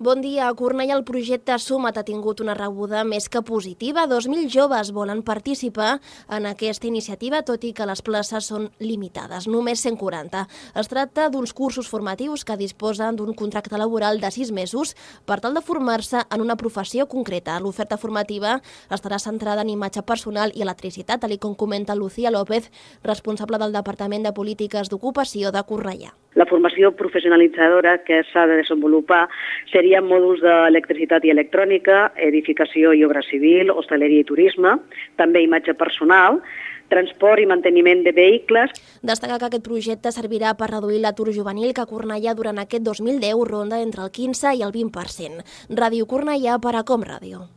Bon dia. A Cornellà el projecte Suma't ha tingut una rebuda més que positiva. 2.000 joves volen participar en aquesta iniciativa, tot i que les places són limitades, només 140. Es tracta d'uns cursos formatius que disposen d'un contracte laboral de 6 mesos per tal de formar-se en una professió concreta. L'oferta formativa estarà centrada en imatge personal i electricitat, tal com comenta Lucía López, responsable del Departament de Polítiques d'Ocupació de Cornellà. La formació professionalitzadora que s'ha de desenvolupar seria mòduls d'electricitat i electrònica, edificació i obra civil, hostaleria i turisme, també imatge personal, transport i manteniment de vehicles. Destaca que aquest projecte servirà per reduir l'atur juvenil que a Cornellà durant aquest 2010 ronda entre el 15 i el 20%. Ràdio Cornellà per a Com Ràdio.